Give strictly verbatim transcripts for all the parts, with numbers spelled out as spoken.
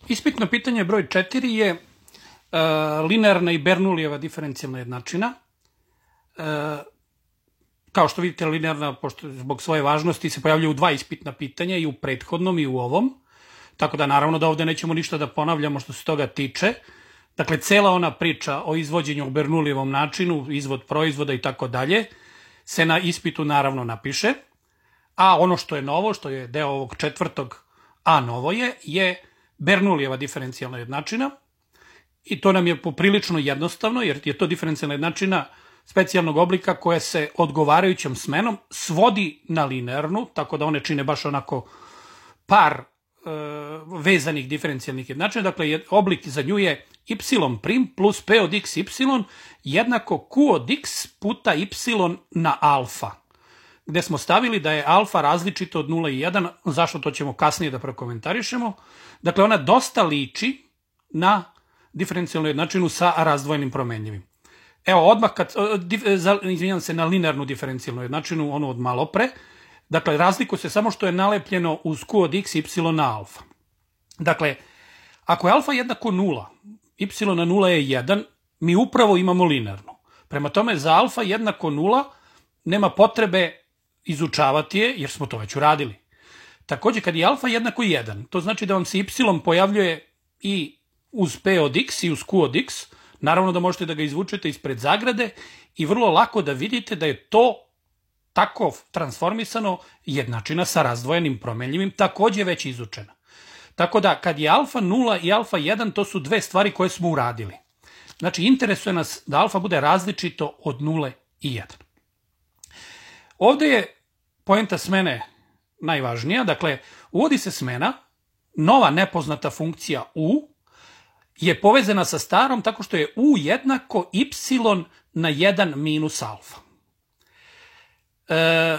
Ispitno pitanje broj četiri je uh, linearna i Bernoullijeva diferencijalna jednačina. Uh, kao što vidite, linearna, pošto zbog svoje važnosti, se pojavljaju u dva ispitna pitanja, i u prethodnom i u ovom. Tako da naravno da ovde nećemo ništa da ponavljamo što se toga tiče. Dakle, cela ona priča o izvođenju u Bernoullijevom načinu, izvod proizvoda i tako dalje, se na ispitu naravno napiše. A ono što je novo, što je deo ovog četvrtog A novo je, je Bernoullijeva diferencijalna jednačina. I to nam je poprilično jednostavno, jer je to diferencijalna jednačina specijalnog oblika koja se odgovarajućom smenom svodi na linearnu, tako da one čine baš onako par e, vezanih diferencijalnih jednačina. Dakle, oblik za nju je y' plus p od x y jednako q od x puta y na alfa, gde smo stavili da je alfa različito od nula i jedan, zašto to ćemo kasnije da prokomentarišemo. Dakle, ona dosta liči na diferencijalnu jednačinu sa razdvojenim promenljivim. Evo, odmah, kad, izvinjam se, na linearnu diferencijalnu jednačinu, onu od malo pre. Dakle, razlikuje se samo što je nalepljeno uz q od x, y na alfa. Dakle, ako je alfa jednako nula, y na nula je jedan, mi upravo imamo linearnu. Prema tome, za alfa jednako nula nema potrebe izučavati je, jer smo to već uradili. Takođe, kad je alfa jednako jedan, to znači da vam se y pojavljuje i uz p od x i uz q od x, naravno da možete da ga izvučete ispred zagrade i vrlo lako da vidite da je to tako transformisano jednačina sa razdvojenim promenljivim, takođe već izučena. Tako da, kad je alfa nula i alfa jedan, to su dve stvari koje smo uradili. Znači, interesuje nas da alfa bude različito od nule i jedan. Ovde je poenta smene najvažnija. Dakle, uvodi se smena, nova nepoznata funkcija u je povezana sa starom tako što je u jednako y na jedan minus alfa. E,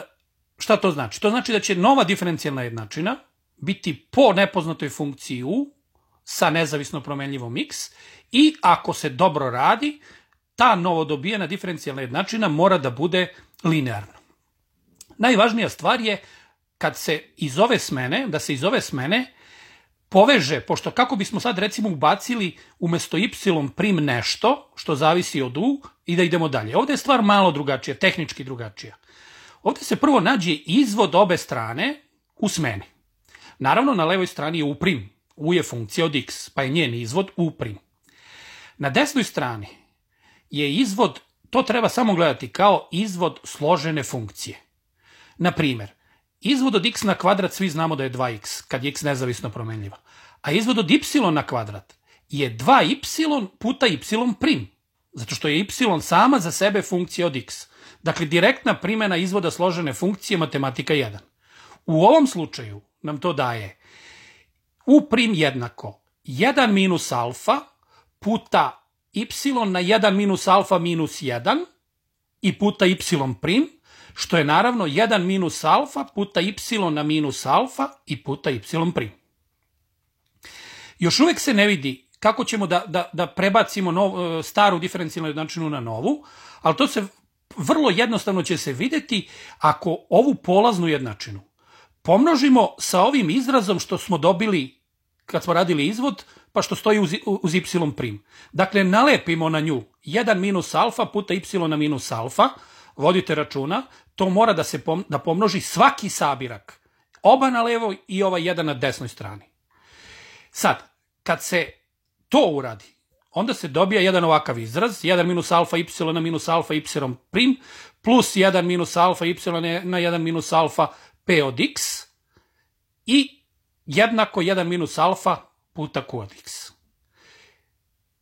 šta to znači? To znači da će nova diferencijalna jednačina biti po nepoznatoj funkciji u sa nezavisno promenljivom x i ako se dobro radi, ta novodobijena diferencijalna jednačina mora da bude linearna. Najvažnija stvar je kad se iz ove smene, da se iz ove smene poveže, pošto kako bismo sad recimo ubacili umesto y prim nešto što zavisi od u i da idemo dalje. Ovde je stvar malo drugačija, tehnički drugačija. Ovde se prvo nađe izvod obe strane u smeni. Naravno, na levoj strani je u prim. U je funkcija od x, pa je njen izvod u prim. Na desnoj strani je izvod, to treba samo gledati kao izvod složene funkcije. Na primer, izvod od x na kvadrat svi znamo da je dva x, kad je x nezavisno promenljiva. A izvod od y na kvadrat je dva y puta y prim, zato što je y sama za sebe funkcija od x. Dakle, direktna primjena izvoda složene funkcije matematika jedan. U ovom slučaju nam to daje u prim jednako jedan minus alfa puta y na jedan minus alfa minus jedan i puta y prim, što je naravno jedan minus alfa puta y na minus alfa i puta y prim. Još uvek se ne vidi kako ćemo da, da, da prebacimo nov, staru diferencijalnu jednačinu na novu, ali to se vrlo jednostavno će se videti ako ovu polaznu jednačinu pomnožimo sa ovim izrazom što smo dobili kad smo radili izvod, pa što stoji uz, uz y prim. Dakle, nalepimo na nju jedan minus alfa puta y na minus alfa, vodite računa, to mora da se pom, da pomnoži svaki sabirak, oba na levoj i ovaj jedan na desnoj strani. Sad, kad se to uradi, onda se dobija jedan ovakav izraz, jedan minus alfa y na minus alfa y prim, plus jedan minus alfa y na jedan minus alfa p od x i jednako jedan minus alfa puta q od x.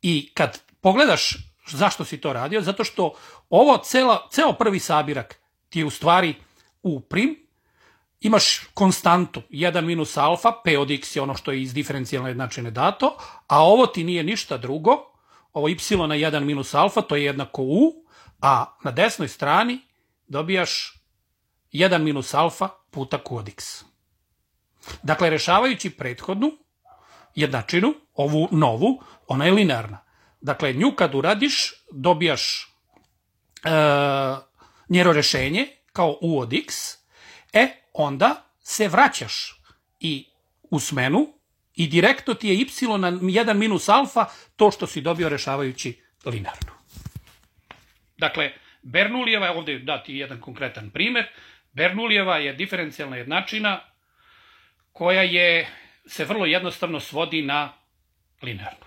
I kad pogledaš zašto si to radio, zato što ovo cela, ceo prvi sabirak ti je u stvari u prim, imaš konstantu jedan minus alfa, p od x je ono što je iz diferencijalne jednačine dato, a ovo ti nije ništa drugo, ovo y na jedan minus alfa, to je jednako u, a na desnoj strani dobijaš jedan minus alfa puta q od x. Dakle, rešavajući prethodnu jednačinu, ovu novu, ona je linearna. Dakle, nju kad uradiš, dobijaš e, njeno rešenje kao u od x, e, onda se vraćaš i u smenu I direktno ti je y na jedan minus alfa to što si dobio rešavajući linearno. Dakle, Bernoullijeva, ovdje dati jedan konkretan primer, Bernoullijeva je diferencijalna jednačina koja je, se vrlo jednostavno svodi na linearno.